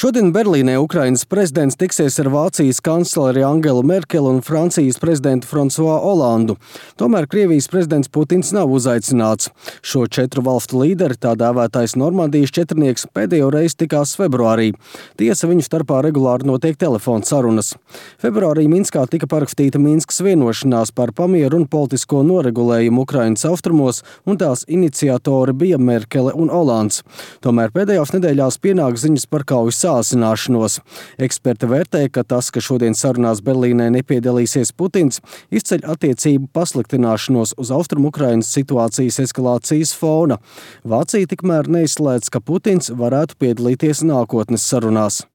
Šodien Berlīnē Ukrainas prezidents tiksies ar Vācijas kancleri Angelu Merkeli un Francijas prezidentu François Hollandu. Tomēr Krievijas prezidents Putins nav uzaicināts. Šo četru valstu līderi, tā dēvētais Normandijas četrnieks, pēdējo reizi tikās februārī. Tiesa, viņu starpā regulāri notiek telefona sarunas. Februārī Minskā tika parakstīta Minskas vienošanās par pamieru un politisko noregulējumu Ukrainas austrumos, un tās iniciatori bija Merkele un Hollands. Tomēr pēdējās nedēļās pienāk ziņas par kaujas sāsināšanos. Eksperti vērtē, ka tas, ka šodien sarunās Berlīnē nepiedalīsies Putins, izceļ attiecību pasliktināšanos uz Austrumu-Ukrainas situācijas eskalācijas fona. Vācija tikmēr neizslēdz, ka Putins varētu piedalīties nākotnes sarunās.